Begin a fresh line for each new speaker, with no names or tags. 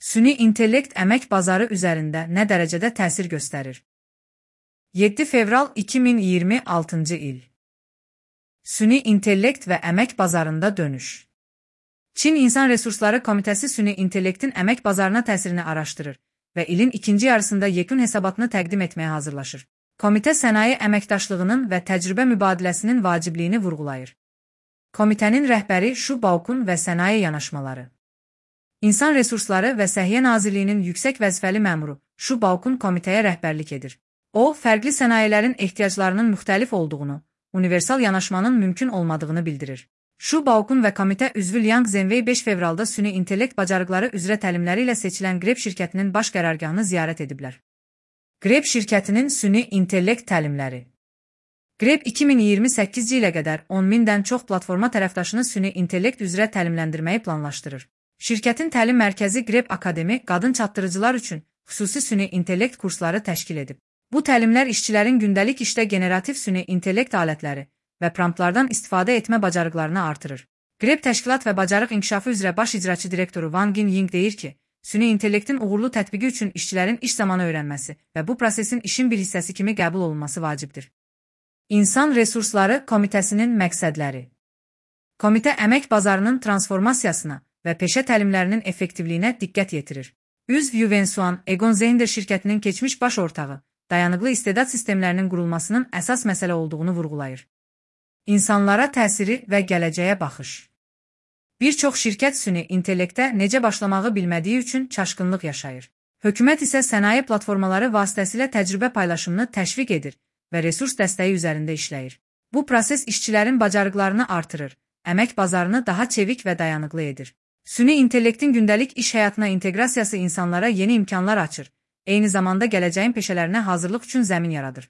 Süni intellekt əmək bazarı üzərində nə dərəcədə təsir göstərir? 7 fevral 2026 il. Süni intellekt və əmək bazarında dönüş. Çin İnsan Resursları Komitəsi süni intellektin əmək bazarına təsirini araşdırır və ilin ikinci yarısında yekun hesabatını təqdim etməyə hazırlaşır. Komitə sənaye əməkdaşlığının və təcrübə mübadiləsinin vacibliyini vurğulayır. Komitənin rəhbəri Şu Baokun və sənaye yanaşmaları. İnsan Resursları və Səhiyyə Nazirliyinin yüksək vəzifəli məmuru Şu Baokun komitəyə rəhbərlik edir. O, fərqli sənayələrin ehtiyaclarının müxtəlif olduğunu, universal yanaşmanın mümkün olmadığını bildirir. Şu Baokun və komitə üzvü Liang Zhenwei 5 fevralda süni intellekt bacarıqları üzrə təlimləri ilə seçilən Grep şirkətinin baş qərargahını ziyarət ediblər. Grep şirkətinin süni intellekt təlimləri. Grep 2028 ilə qədər 10.000-dən çox platforma tərəfdaşını süni intellekt üzrə təlimləndirməyi planlaşdırır. Şirkətin təlim mərkəzi Grep Akademi qadın çatdırıcılar üçün xüsusi süni intellekt kursları təşkil edib. Bu təlimlər işçilərin gündəlik işdə generativ süni intellekt alətləri və promptlardan istifadə etmə bacarıqlarını artırır. Grep təşkilat və bacarıq inkişafı üzrə baş icraçı direktoru Wang Ying deyir ki, süni intellektin uğurlu tətbiqi üçün işçilərin iş zamanı öyrənməsi və bu prosesin işin bir hissəsi kimi qəbul olunması vacibdir. İnsan Resursları Komitəsinin məqsədləri. Komitə əmək bazarının transformasiyasına və peşə təlimlərinin effektivliyinə diqqət yetirir. Üzv Yuvensuan Egon Zehnder şirkətinin keçmiş baş ortağı, dayanıqlı istedad sistemlərinin qurulmasının əsas məsələ olduğunu vurğulayır. İnsanlara təsiri və gələcəyə baxış. Bir çox şirkət süni intellektə necə başlamağı bilmədiyi üçün çaşqınlıq yaşayır. Hökumət isə sənaye platformaları vasitəsilə təcrübə paylaşımını təşviq edir və resurs dəstəyi üzərində işləyir. Bu proses işçilərin bacarıqlarını artırır, əmək bazarını daha çevik və dayanıqlı edir. Süni intellektin gündəlik iş həyatına inteqrasiyası insanlara yeni imkanlar açır, eyni zamanda gələcəyin peşələrinə hazırlıq üçün zəmin yaradır.